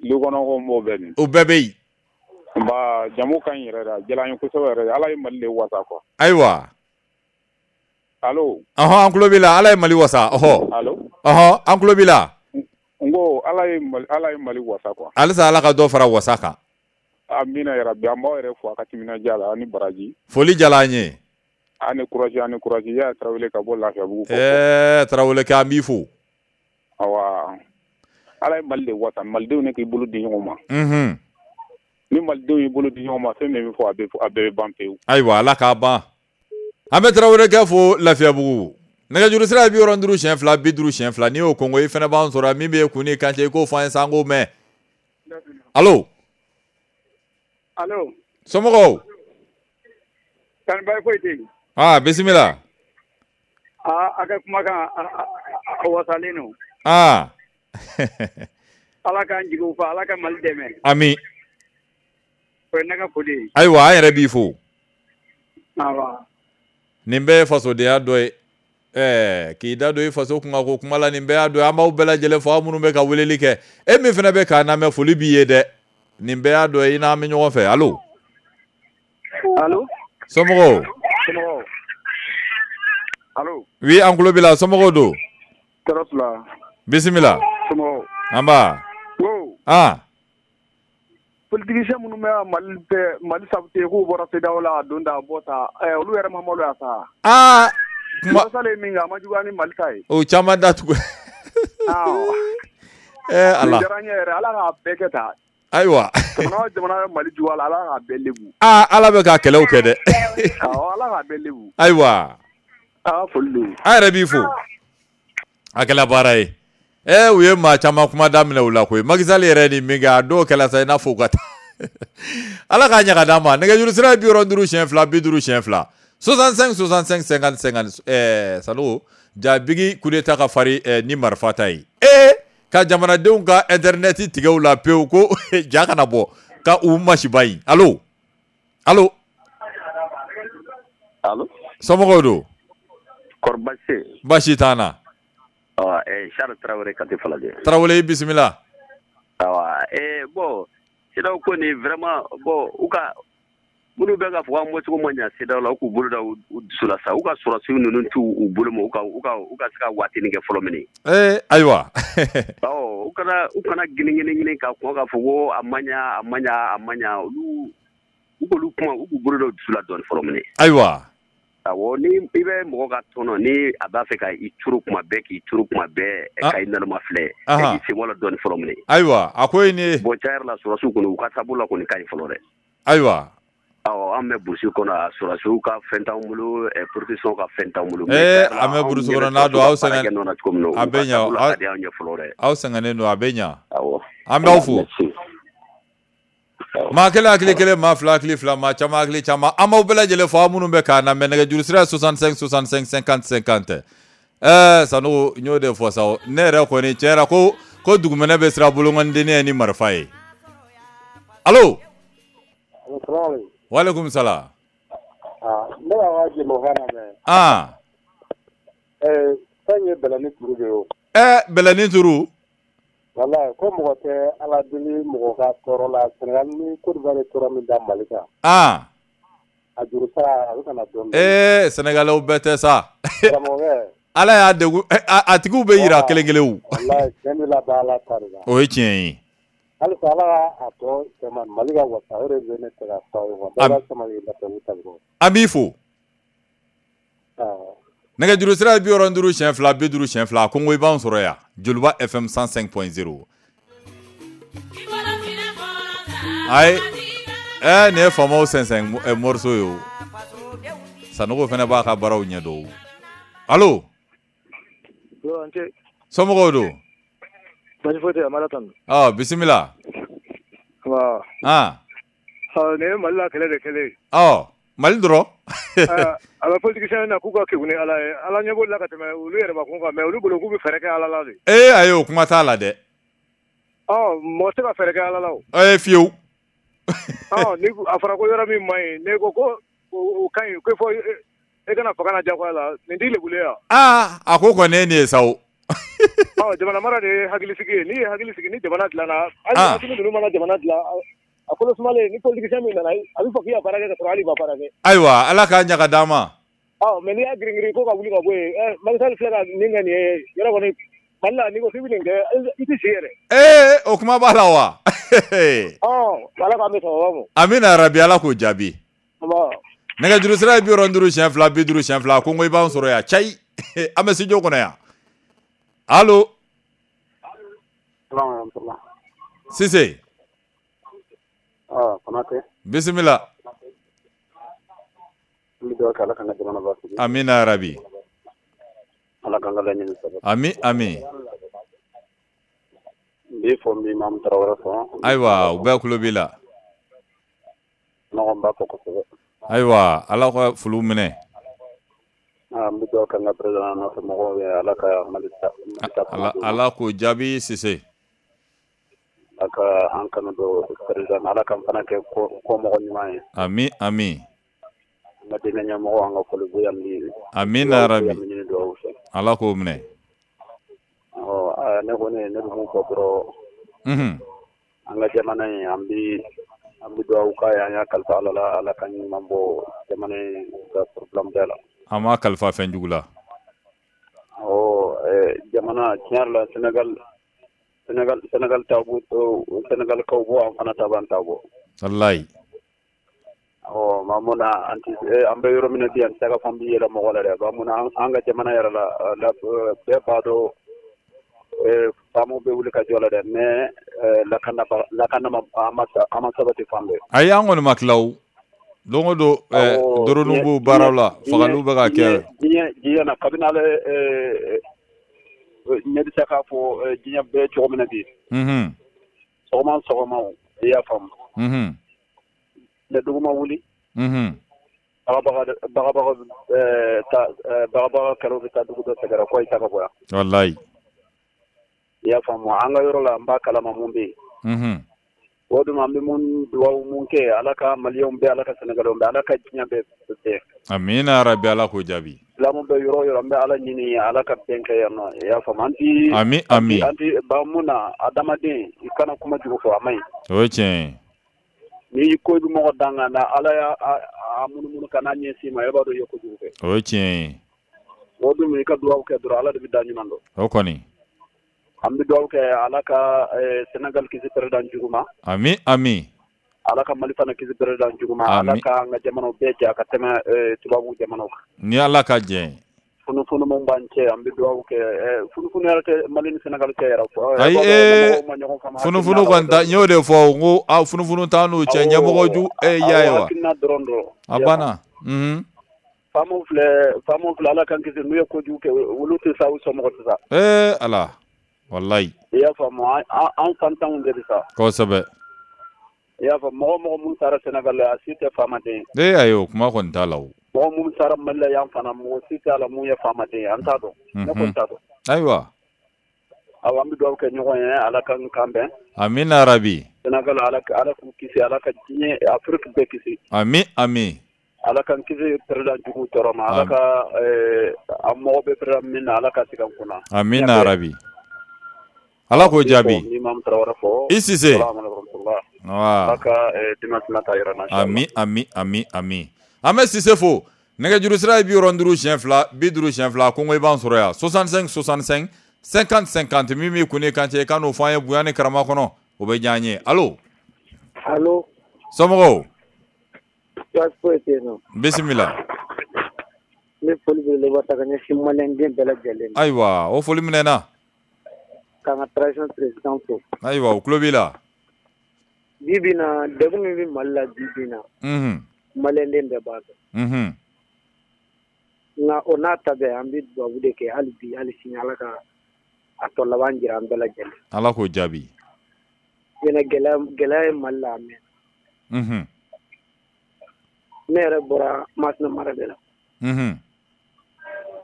Lukɔnɔmɔgɔw m'o bɛɛ min. O bɛɛ bɛ yen. Nba jamu ka ɲi yɛrɛ de, a diyara an ye kosɛbɛ yɛrɛ de. Ala ye Mali de wasa quoi. Ayiwa. Allo. Ɔhɔn, an tulo b'i la. Ala ye Mali wasa. Ɔhɔ. Allo. Ɔhɔn, an tulo b'i la. N ko Ala ye Mali wasa quoi. Halisa Ala ka dɔ fara wasa kan. Amina yarabi, an b'aw yɛrɛ fo a ka timinandiya la, ani baraji. Foli diyara an ye. Ani courage, ani courage. Yaya Tarawele ka bɔ Lafiyabugu. Tarawele kɛ, an b'i fo. Awa. Ala ye Mali de wasa, Malidenw ne k'i bolo di ɲɔgɔn ma. Unhun. Ni Malidenw y'i bolo di ɲɔgɔn ma, fɛn min bɛ fɔ a bɛɛ bɛ ban pewu. Ayiwa, Ala k'a ban. An bɛ Tarawele kɛ fo Lafiyabugu. Nɛgɛjuru sira ye 52 50 2. N'i y'o kɔngo i fana b'an sɔrɔ min bɛ kun ni kan cɛ i k'o fɔ an ye sa an k'o mɛn. Allo. Allo. Somɔgɔw? Kani baasi foyi tɛ yen. Aa bisimila. Aa a ka kumakan a wasalen don. Aa. Ala k'an jigiw fa, Ala ka Mali dɛmɛ. Ami. O ye ne ka foli ye. Ayiwa an yɛrɛ b'i fo. Awɔ. Nin bɛɛ ye fasodenya dɔ ye. K'i da don i faso kunkan ko kuma la, nin bɛɛ y'a dɔ ye. An b'aw bɛɛ lajɛlen fo, aw minnu bɛ ka weleli kɛ. E min fana bɛ k'an lamɛn, foli b'i ye dɛ. Nin bɛɛ y'a dɔ ye, i n'an bɛ ɲɔgɔn fɛ. Allo. Allo. Somɔgɔw? Somɔgɔw. Allo. Oui, an tulo b'i la, somɔgɔw don? Tɔɔrɔ t'u la. Bisimila. Somɔgɔw. Anba. Ko. Ah. Politicien minnu bɛ Mali fɛ, Mali saboter k'u bɔra CEDEAO la a don ta a bɔ ta, olu yɛrɛ ma maloya sa. Aa. Kuma ye min kɛ a ma juguya ni Mali ta ye. O caman datugu. Ala. Nin diyara n ye yɛrɛ, Ala k'a bɛɛ kɛ tan. Ayiwa. Jamana o jamana bɛ Mali juguya la, Ala k'a bɛɛ lebu. Aa Ala bɛ ka kɛlɛw kɛ dɛ. Awɔ, Ala k'a bɛɛ lebu. Ayiwa. Aa foli don. An yɛrɛ b'i fo. A kɛla baara ye. U ye maa caman kuma daminɛ u la koyi. Macky Sall yɛrɛ ni min kɛ, a dɔw kɛla sa i n'a fɔ u ka taa. Ala k'a ɲɛ ka d'an ma. Nɛgɛjuru sira ye 52 50 2. 65 65 50 50. Sanogo, ja Bigi coup d'état ka fari ni marifa ta ye. Ka jamanadenw ka internet tigɛ u la pewu ko ja kana bɔ ka u masiba in. Allo, allo, allo, somɔgɔw don? Kɔri baasi tɛ yen? Baasi t'an na. Charles Tarawele Kati Falajɛ. Tarawele, i bisimila. Awa, bon, CEDEAO ko nin vraiment, bon, u ka minnu bɛ k'a fɔ k'an bɔcogo ma ɲɛ CEDEAO la, u k'u bolo da u dusu la sa, u ka sɔrɔdasiw ninnu t'u u bolo ma, u ka se ka waatinin kɛ fɔlɔ minɛ. Ayiwa. Awɔ, u kana gini gini ka kɔn k'a fɔ ko a ma ɲɛ, a ma ɲɛ, a ma ɲɛ, olu u k'olu kuma, u k'u bolo da u dusu la dɔɔnin fɔlɔ minɛ. Ayiwa. Awɔ, ni i bɛ mɔgɔ ka tɔnɔ, ni a b'a fɛ ka i turu kuma bɛɛ, k'i turu kuma bɛɛ, ka i naloma filɛ, k'i sen bɔ la dɔɔnin fɔlɔ minɛ. Ayiwa, a ko ye nin ye. Bon, tiɲɛ yɛrɛ la, sɔrɔdasiw kɔni, u ka taabolo la kɔni ka ɲi fɔlɔ dɛ. Ayiwa. Awɔ, an bɛ burusi kɔnɔ, sɔrɔdasiw ka fɛn t'anw bolo, politiciens ka fɛn t'anw bolo. An bɛ burusi kɔnɔ n'a don, aw sɛgɛn, a bɛ ɲɛ, aw sɛgɛnnen don, a bɛ ɲɛ. Awɔ. An b'aw fo. Maa kelen hakili kelen, maa fila hakili fila, maa caman hakili caman. An b'aw bɛɛ lajɛlen fo, aw minnu bɛ k'an lamɛn, nɛgɛjuru sira 65 65 50 50. Sanogo, n y'o de fɔ sa, ne yɛrɛ kɔni tiɲɛ yɛrɛ ko dugumɛnɛ bɛ siran bolonkɔniden ye ni marifa ye. Allo. Walekum salam. Ne b'a ka jɛmukan lamɛn. Fɛn ye bɛlɛnin turu de ye o. Bɛlɛnin turu. Walayi, ko mɔgɔ tɛ Ala deli mɔgɔ ka tɔɔrɔ la. Sénégal ni Côte d'Ivoire ye tɔɔrɔ min da Mali kan. A juru sara a bɛ ka na dɔɔnin dɔɔnin. Sénégalais bɛɛ tɛ sa. Karamɔgɔkɛ. Ala y'a degun, a tigiw bɛ yira kelen kelenw. Walayi, tiɲɛ bɛ laban Ala ta de la. O ye tiɲɛ ye. Halisa Ala ka a tɔ cɛman Mali ka wasa, o de bɛ ne fɛ ka fɔ aw ye. Bɛɛ ka sabali An b'i fo. Nɛgɛjuru sira ye 65 2 50 2, ko i b'an sɔrɔ yan Joliba FM 105.0. Ayi, nin ye faamaw sɛnsɛn morceau ye o. Sanogo fana b'a ka baaraw ɲɛ dɔn. Allo. Somɔgɔw don? Baasi foyi tɛ yen, Amara Tanu. Bisimila. Nin ye Mali la kɛlɛ de kɛlen ye. Mali dɔrɔn. A bɛ politicien na k'u ka kegun ni Ala ye, Ala ɲɛ b'olu la ka tɛmɛ olu yɛrɛbakun kan, mais olu bolo k'u bɛ fɛɛrɛ kɛ Ala la de. Ayi, o kuma t'a la dɛ. Mɔgɔ tɛ ka fɛɛrɛ kɛ Ala la o. Fiyewu. Ni a fɔra ko yɔrɔ min man ɲi, n'e ko ko o ka ɲi, ko fɔ e kana fanga na diyagoya la, nin t'i lebulen ye wa? A ko kɔni ye nin ye sa o. Jamana mara de ye hakilisigi ye, n'i ye hakili sigi, ni jamana dilanna, hali ni ninnu mana jamana dilan, a kolo sumalen, ni politicien min nana, a bɛ fɔ k'i ka baara kɛ ka sɔrɔ hali i ma baara kɛ. Ayiwa, Ala k'a ɲɛ ka d'an ma. Mais n'i y'a girin-girin ko ka wuli ka bɔ yen, Macky Sall filɛ ka nin kɛ nin ye, yɔrɔ kɔni Mali la, n'i ko k'i bɛ nin kɛ, i tɛ si yɛrɛ. O kuma b'a la wa? Ala k'an bɛ sababa ma. Amina rabi, Ala k'o jaabi. Nɛgɛjuru sira ye 65 2 50 2, ko i b'an sɔrɔ yan cayi. An bɛ studio kɔnɔ yan. Allo. Sise. Konate. Bisimila. Amina rabi. Ami ami. Ayiwa, u bɛɛ kulo b'i la. Ayiwa, Ala ka foliw minɛ. Ala k'o jaabi Sise. Ami ami. Amina rabi. Ala k'o minɛ. Ne kɔni ne bɛ mun fɔ dɔrɔn, an ka jamana in, an bɛ dugawu k'a ye, an y'a kalifa Ala la, Ala ka ɲuman bɔ jamana in ka problème bɛɛ la. An m'a kalifa fɛn jugu la. Jamana tiɲɛ yɛrɛ la, Sénégal ta bɔ, Sénégal kaw bɔ, an fana ta b'an ta bɔ. Walayi. Ɔ maa mun na an bɛ yɔrɔ min na bi, an tɛ se ka fɔ an bɛ yɛlɛ mɔgɔ la dɛ, ba mun na an ka jamana yɛrɛ la, bɛɛ b'a dɔn faamaw bɛ wuli ka jɔ la dɛ, mais lakana an ma sabati fan bɛɛ. Ayi, an kɔni ma tila o. Don o don drone b'u baaraw la, fagaliw bɛ ka kɛ. Diɲɛ na kabini ale ɲɛ bɛ se k'a fɔ diɲɛ bɛɛ cogo min na bi. Sɔgɔma sɔgɔma, i y'a faamu. Ne dugu ma wuli. Bagabaga kɛlɛw bɛ taa dugu dɔ sɛgɛrɛ ko i ta ka bɔ yan. Walayi. I y'a faamu, an ka yɔrɔ la n b'a kalama mun bɛ yen. O dun an bɛ mun dugawu mun kɛ, Ala ka Maliyɛnw bɛɛ, Ala ka Sénégalais bɛɛ, Ala ka diɲɛ bɛɛ bɛn. Amina rabi, Ala k'o jaabi. Silamɛw bɛ yɔrɔ o yɔrɔ, an bɛ Ala ɲini Ala ka bɛn kɛ yan nɔ, i y'a faamu. An ti ami ami an ti ba mun na, adamaden i kana kuma jugu fɔ, a man ɲi. O ye tiɲɛ ye. N'i ko i bɛ mɔgɔ danga na, Ala y'a munumunu ka n'a ɲɛsin ma, e b'a dɔn i ye kojugu kɛ. O ye tiɲɛ ye. O dun i ka dugawu kɛ dɔrɔn, Ala de bɛ da ɲuman dɔn. O kɔni. An bɛ dugawu kɛ Ala ka Sénégal kisi président jugu ma. Ami ami. Ala ka Mali fana kisi président jugu ma. Ala ka an ka jamanaw bɛɛ jɛ ka tɛmɛ tubabu jamanaw kan. Ni Ala ka jɛ. Funufunu mun b'an cɛ, an bɛ dugawu kɛ, funufunu yɛrɛ tɛ Mali ni Sénégal cɛ yɛrɛ. Ayi, funufunu kɔni ta, n y'o de fɔ, n ko funufunu t'an n'u cɛ, ɲɛmɔgɔ ju e y'a ye wa. Hakilina dɔrɔn don. A banna. Faamaw filɛ, Ala k'an kisi, n'u ye kojugu kɛ, olu tɛ sa, u somɔgɔw tɛ sa. Ee Ala. Walayi. I y'a faamu, an fantanw de bɛ sa. Kosɛbɛ. I y'a faamu, mɔgɔ mun sara Sénégal la, a si tɛ faamaden ye. Ee ayi, o kuma kɔni t'a la o. Mɔgɔ mun sara Mali la yan fana, mɔgɔ si t'a la mun ye faamaden ye, an t'a dɔn. Ne kɔni t'a dɔn. Ayiwa. Awɔ, an bɛ dugawu kɛ ɲɔgɔn ye, Ala k'an kan bɛn. Amina rabi. Sénégal, Ala k'u kisi, Ala ka diɲɛ Afrique bɛɛ kisi. Ami ami. Ala k'an kisi président jugu tɔɔrɔ ma, Ala ka an mɔgɔ bɛ président min na, Ala ka sigi an kunna. Amina rabi. Ala k'o jaabi. I Sise. Ami ami ami ami. An bɛ Sise fo. Nɛgɛjuru sira ye 52 50 2 ko i b'an sɔrɔ yan 65 65 50 50 min b'i kun ni kan cɛ i ka n'o fɔ an ye bonya ni karama kɔnɔ, o bɛ diya an ye. Allo. Allo. Somɔgɔw. Baasi foyi tɛ yen nɔ. Bisimila. N bɛ foli belebeleba ta ka ɲɛsin maliyɛnden bɛɛ lajɛlen ma. Ayiwa, o foli minɛna. K'an ka transition président fo. Ayiwa, o tulo b'i la. Bi bi in na, degun min bɛ Mali la bi bi in na. Maliyɛnden bɛɛ b'a dɔn. Nka o n'a ta bɛɛ, an bɛ dugawu de kɛ hali bi hali sini, Ala ka a tɔ laban jira an bɛɛ lajɛlen. Ala k'o jaabi. Ɲinɛ gɛlɛya ye Mali la a mɛnna. Ne yɛrɛ bɔra Masina mara de la.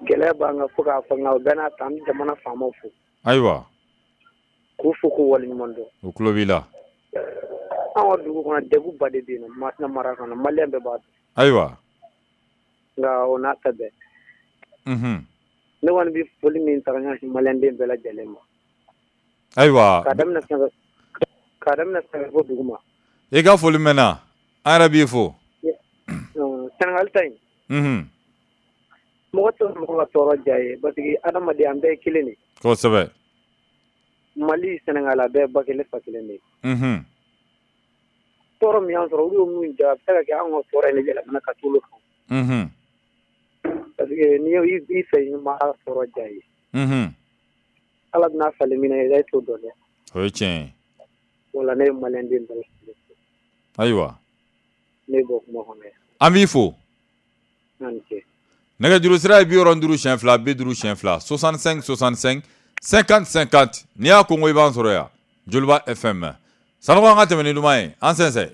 Gɛlɛya b'an kan fo k'a fɔ, nka o bɛɛ n'a ta, an bɛ jamana faamaw fo. Ayiwa. K'u fo k'u waleɲuman dɔn. O tulo b'i la. An ka dugu kɔnɔ degun ba de bɛ yen nɔ, Masina mara kɔnɔ, maliyɛn bɛɛ b'a dɔn. Ayiwa. Nka o n'a ta bɛɛ. Ne kɔni bɛ foli min ta ka ɲɛsin maliyɛnden bɛɛ lajɛlen ma. Ayiwa. K'a daminɛ sanfɛ fo duguma. I ka foli mɛnna, an yɛrɛ b'i fo. Sénégal ta in. Mɔgɔ tɛ mɔgɔ ka tɔɔrɔ diya ye, parce que adamaden an bɛɛ ye kelen de ye. Kosɛbɛ. Mali Sénégal a bɛɛ ba kelen fa kelen de ye. Tɔɔrɔ min y'an sɔrɔ, olu ye mun ja, a bɛ se ka kɛ anw ka tɔɔrɔ in de yɛlɛmana ka t'olu kan. Parce que n'i i fɛ i ma tɔɔrɔ diya ye. Ala bɛna falen min na, i t'o dɔn dɛ. O ye tiɲɛ ye. O la ne ye maliyɛnden bɛɛ lajɛlen fo. Ayiwa. Ne bɔ kuma kɔnɔ yan. An b'i fo. Nɛgɛjuru sira ye 52 52 65 65 50 50 n'i y'a ko i b'an sɔrɔ yan Joliba FM. Sanɔgɔ, an ka tɛmɛ ni duman ye, an sɛnsɛn.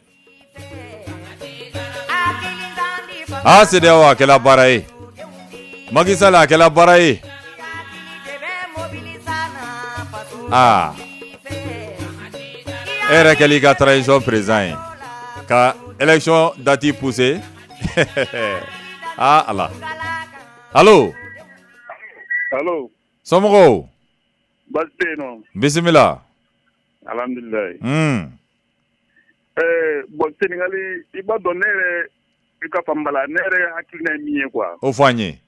Aa, CEDEAO a kɛla baara ye, Macky Sall a kɛla baara ye. Aa, e yɛrɛ kɛl'i ka transition président ye ka élection date pousser. Aa Ala. Allo. Allo. Somɔgɔw. Baasi tɛ yen nɔ. Bisimila. Alhamdulilayi. Bon, Sénégal, i b'a dɔn, ne yɛrɛ i ka faamu la, ne yɛrɛ hakilina ye min ye quoi. O fɔ an ye.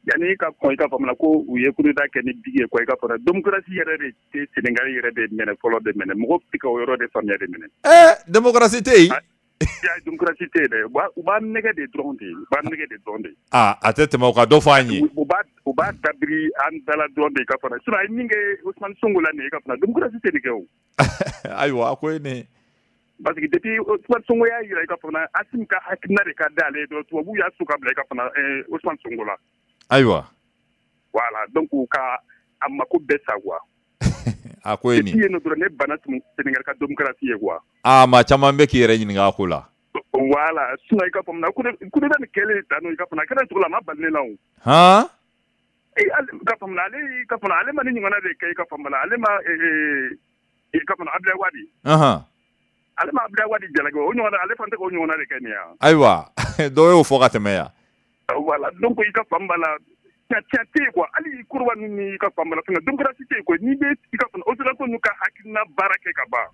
Yanni ka kɔn i ka faamu la ko u ye coup d'état kɛ ni bigi ye quoi, i ka faamu démocratie yɛrɛ de tɛ Sénégal yɛrɛ de minɛ fɔlɔ de minɛ, mɔgɔw tɛ ka o yɔrɔ de faamuya de minɛ. Démocratie tɛ yen. Démocratie tɛ yen dɛ, u b'a nɛgɛ de dɔrɔn de, u b'a nɛgɛ de dɔrɔn de. Aa, a tɛ tɛmɛ o kan, dɔ fɔ an ye. U b'a dabiri an da la dɔrɔn de i ka faamu, sinon a ye min kɛ Ousmane Sonko la nin ye i ka faamu, démocratie tɛ nin kɛ o. Ayiwa, a ko ye nin. Parce que depuis Ousmane Sonko y'a jira i ka faamu, Assimi ka hakilina de ka d'ale ye dɔrɔn, tubabuw y'a su ka bila i ka faamu Ousmane Sonko la. Ayiwa. Voilà, donc ka a mako bɛɛ sa quoi. A ko ye nin. Depuis yen nɔ dɔrɔn ne banna Sénégal ka démocratie ye quoi. Aa, maa caman bɛ k'i yɛrɛ ɲininka a ko la. Voilà, sinon i ka faamu na coup d'état nin kɛlen tan nɔ i ka faamu na, a kɛra cogo la a ma bali ne la o. Han. Ka faamu ale ka faamu ale ma ni ɲɔgɔnna de kɛ i ka faamu ale ma i ka faamu Abdoulaye Wade. Ale ma Abdoulaye Wade jalaki o ɲɔgɔnna ale fana tɛ k'o ɲɔgɔnna de kɛ nin ya. Ayiwa dɔw y'o fɔ ka tɛmɛ yan. Voilà donc i ka faamu b'a la tiɲɛ tɛ yen quoi hali kuruba ninnu ni i ka faamu b'a la fɛngɛ démocratie tɛ yen quoi n'i bɛ i ka faamu occidentaux ninnu ka hakilina baara kɛ ka ban.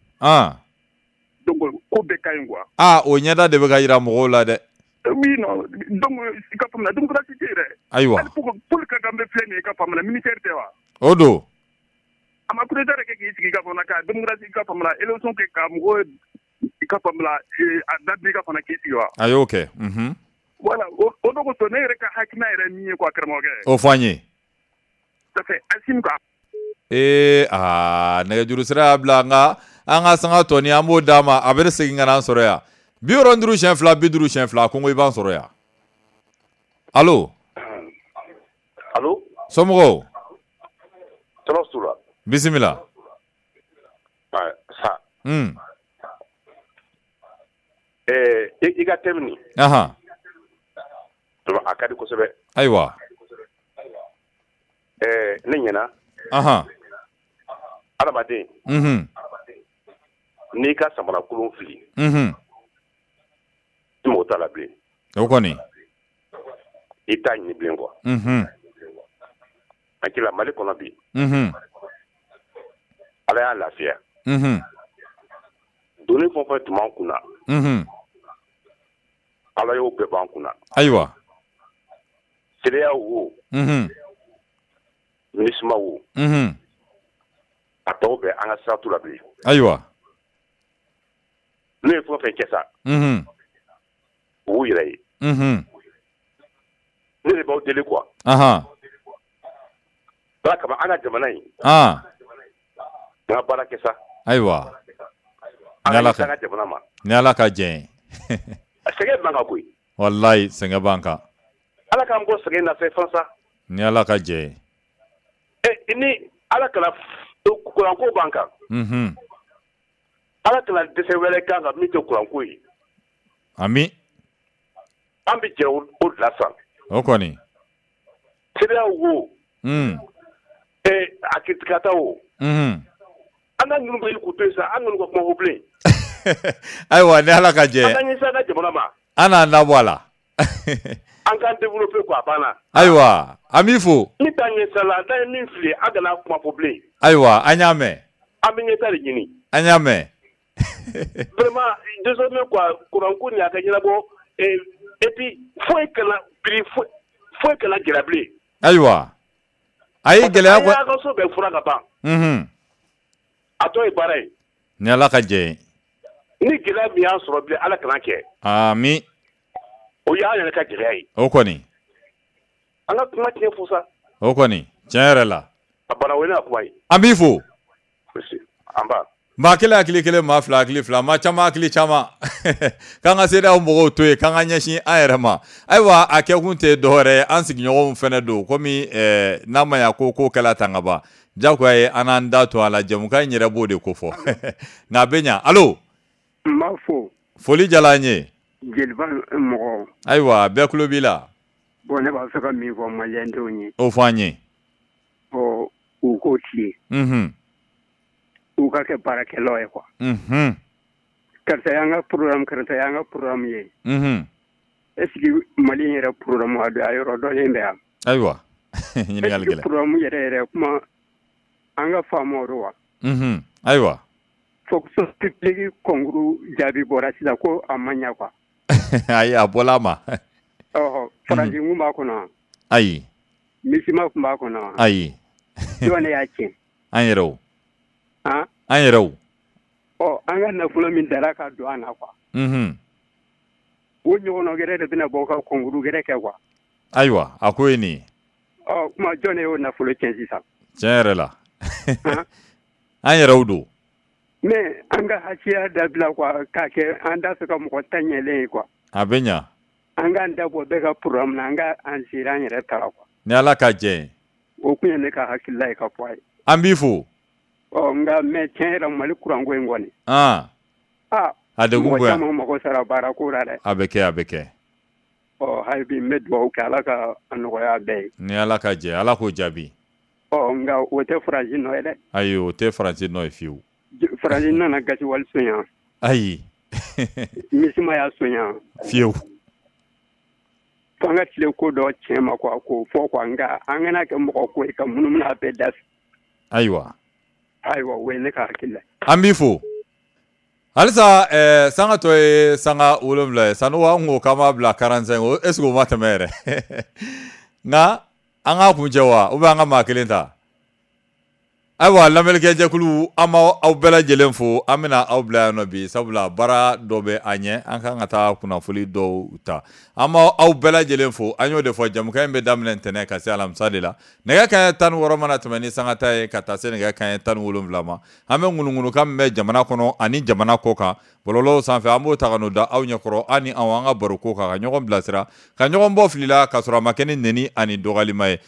Donc ko bɛɛ ka ɲi quoi. O ɲɛda de bɛ ka yira mɔgɔw la dɛ. Oui non donc i ka faamu démocratie tɛ yen dɛ. Ayiwa. Hali Paul Kagame filɛ nin ye i ka faamu la militaire tɛ wa. O don. A ma coup d'état kɛ k'i sigi i ka faamu la ka démocratie i ka faamu la élection kɛ ka mɔgɔw i ka faamu la a dabila i ka faamu la k'i sigi wa. A y'o kɛ. Voilà o de kosɔn ne yɛrɛ ka hakilina yɛrɛ min ye quoi karamɔgɔkɛ. O fɔ an ye. Ça fait Assimi quoi. Nɛgɛjuru sira y'a bila nka an ka sanga tɔni an b'o d'a ma a bɛ segin ka na an sɔrɔ yan. 75 50 2 ko i b'an sɔrɔ yan. Allo. Allo. Somɔgɔw. Tɔɔrɔ t'u la. Bisimila. Sa. I ka thème nin. Ahan. A ka di kosɛbɛ. Ayiwa. Ne ɲɛna. Ahan. Adamaden. N'i ka samarakolon fili. I mago t'a la bilen. O kɔni. I t'a ɲini bilen quoi. Hakili la Mali kɔnɔ bi. Ala y'a lafiya. Doni fɛn o fɛn tun b'an kunna. Ala y'o bɛɛ b'an kunna. Ayiwa. CEDEAO wo. MINUSMA wo. A tɔw bɛɛ an ka sira t'u la bilen. Ayiwa. N'u ye fɛn o fɛn kɛ sa. U b'u yɛrɛ ye. Ne de b'aw deli quoi. Ala kama an ka jamana in. An ka baara kɛ sa. Ayiwa. An ka ɲɛsin an ka jamana ma. Ni Ala ka jɛn ye. Sɛgɛn b'an kan koyi. Walayi sɛgɛn b'an kan. Ala k'an bɔ sɛgɛn na fɛn sa. Ni Ala ka jɛn ye. Ni Ala kana kuranko b'an kan. Ala kana dɛsɛ wɛrɛ k'an kan min tɛ kuranko ye. Ami. An bɛ jɛ o de la sa. O kɔni. CEDEAO wo. A kitikata wo. An ka ninnu bɛ k'u to yen sa an ninnu ka kuma ko bilen. Ayiwa ni Ala ka jɛ. An ka ɲɛsin an ka jamana ma. An n'an da bɔ a la. An k'an développer quoi a banna. Ayiwa an b'i fo. Ni taa ɲɛsira la n'an ye min fili an kana kuma fɔ bilen. Ayiwa an y'a mɛn. An bɛ ɲɛtaa de ɲini. An y'a mɛn. Vraiment désormais quoi kuranko nin a ka ɲɛnabɔ et puis foyi kana prix foyi kana gɛlɛya bilen. Ayiwa. A ye gɛlɛya ko. An y'an ka so bɛɛ furan ka ban. A tɔ ye baara ye. Ni Ala ka jɛ ye. Ni gɛlɛya min y'an sɔrɔ bilen Ala kana kɛ. Ami. O y'an yɛrɛ ka gɛlɛya ye. O kɔni. An ka kuma tiɲɛ fo sa. O kɔni tiɲɛ yɛrɛ la. A bana o ye ne ka kuma ye. An b'i fo. An ba. Maa kelen hakili kelen maa fila hakili fila maa caman hakili caman k'an ka CEDEAO mɔgɔw to yen k'an ka ɲɛsin an yɛrɛ ma. Ayiwa a kɛkun tɛ dɔwɛrɛ ye an sigiɲɔgɔnw fɛnɛ don komi n'a ma ɲa ko ko kɛla tan ka ban jagoya ye an n'an da to a la jɛmukan in yɛrɛ b'o de ko fɔ nka a bɛ ɲa. Allo. N b'a fo. Foli diyara an ye. Jeliba mɔgɔ. Ayiwa bɛɛ tulo b'i la. Bon ne b'a fɛ ka min fɔ maliyɛndenw ye. O fɔ an ye. Ɔ u k'o tilen. U ka kɛ baarakɛlaw ye quoi. Karisa y'an ka programme karisa y'an ka programme ye. Est ce que Mali yɛrɛ programme a yɔrɔ dɔnnen bɛ yan. Ayiwa ɲininkali gɛlɛn. Programme yɛrɛ yɛrɛ kuma an ka faamu o wa. Ayiwa. Fonction publique concours jaabi bɔra sisan ko a ma ɲɛ quoi. Ayi a bɔla a ma. Ɔhɔ faransi kun b'a kɔnɔ. Ayi. MISIMA kun b'a kɔnɔ. Ayi. Jɔn de y'a tiɲɛ. An yɛrɛw. An yɛrɛw. Ɔ an ka nafolo min dara ka don an na quoi. O ɲɔgɔnna gɛrɛ de bɛna bɔ ka concours gɛrɛ kɛ quoi. Ayiwa a ko ye nin ye. Ɔ kuma jɔn de y'o nafolo tiɲɛ sisan. Tiɲɛ yɛrɛ la. An yɛrɛw don. Mais an ka hasiya dabila quoi k'a kɛ an t'a fɛ ka mɔgɔ ta ɲɛlen ye quoi. A bɛ ɲa. An k'an da bɔ bɛɛ ka programme na an ka an sera an yɛrɛ ta la quoi. Ni Ala ka jɛ ye. O kun ye ne ka hakilila ye ka fɔ a ye. An b'i fo. Ɔ nka mais tiɲɛ yɛrɛ Mali kuranko in kɔni. A degun bonya. Mɔgɔ caman mago sara baara ko la dɛ. A bɛ kɛ a bɛ kɛ. Ɔ hali bi n bɛ dugawu kɛ Ala ka a nɔgɔya bɛɛ ye. Ni Ala ka jɛ, Ala k'o jaabi. Ɔ nka o tɛ Faransi nɔ ye dɛ. Ayi, o tɛ Faransi nɔ ye fiyewu. Faransi nana gaziwali sonya. Ayi. MISMA y'a sonya. Fiyewu. F'an ka tile ko dɔ tiɲɛ ma quoi, k'o fɔ quoi, nka an kana kɛ mɔgɔ ko ye ka munumunu a bɛɛ da fɛ. Ayiwa. Ayiwa, o ye ne ka hakili la. An b'i fo. Halisa sanga tɔ ye sanga 7 ye, Sanogo an ko k'an b'a bila 45, o est ce que o ma tɛmɛ yɛrɛ? Nka an k'a kuncɛ wa, ou bien an ka maa kelen ta? Ayiwa, lamɛnnikɛjɛkulu, an b'aw bɛɛ lajɛlen fo. An bɛna aw bila yan nɔ bi, sabula baara dɔ bɛ an ɲɛ, an kan ka taa kunnafoli dɔw ta. An b'aw bɛɛ lajɛlen fo. An y'o de fɔ, jamukan in bɛ daminɛ ntɛnɛn ka se alamisa de la. Nɛgɛ kanɲɛ 16 mana tɛmɛ ni sanga ta ye ka taa se nɛgɛ kanɲɛ 17 ma, an bɛ ŋunuŋunukan min bɛ jamana kɔnɔ ani jamana kɔ kan bɔlɔlɔw sanfɛ, an b'o ta ka n'o da aw ɲɛkɔrɔ, an ni aw an ka baro ko kan, ka ɲɔgɔn bilasira, ka ɲɔgɔn bɔ fili la, ka sɔrɔ a ma kɛ ni nɛni ani dɔgɔyalima ye.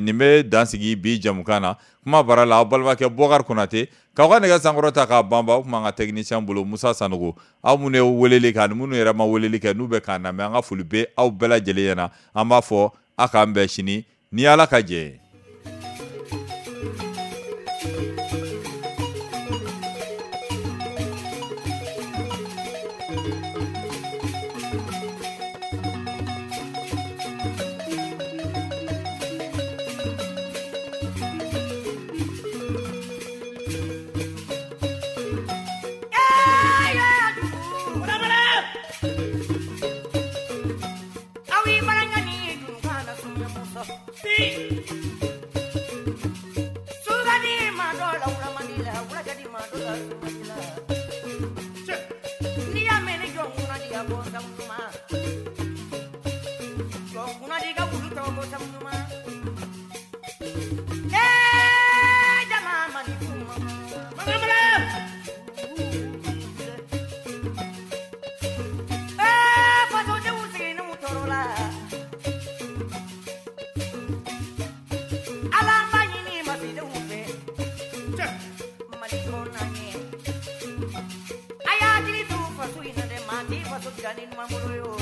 Nin bɛ dansigi bi jamukan na. Kuma baara la, aw balimakɛ Bɔkari Konate, k'aw ka nɛgɛ sankɔrɔ ta k'a banban. O tuma an ka technicien bolo Musa Sanogo, aw minnu ye weleli kɛ ani minnu yɛrɛ ma weleli kɛ n'u bɛ k'an lamɛn, an ka foli bɛ aw bɛɛ lajɛlen ɲɛna. An b'a fɔ a k'an bɛn sini ni Ala ka jɛ ye. Faso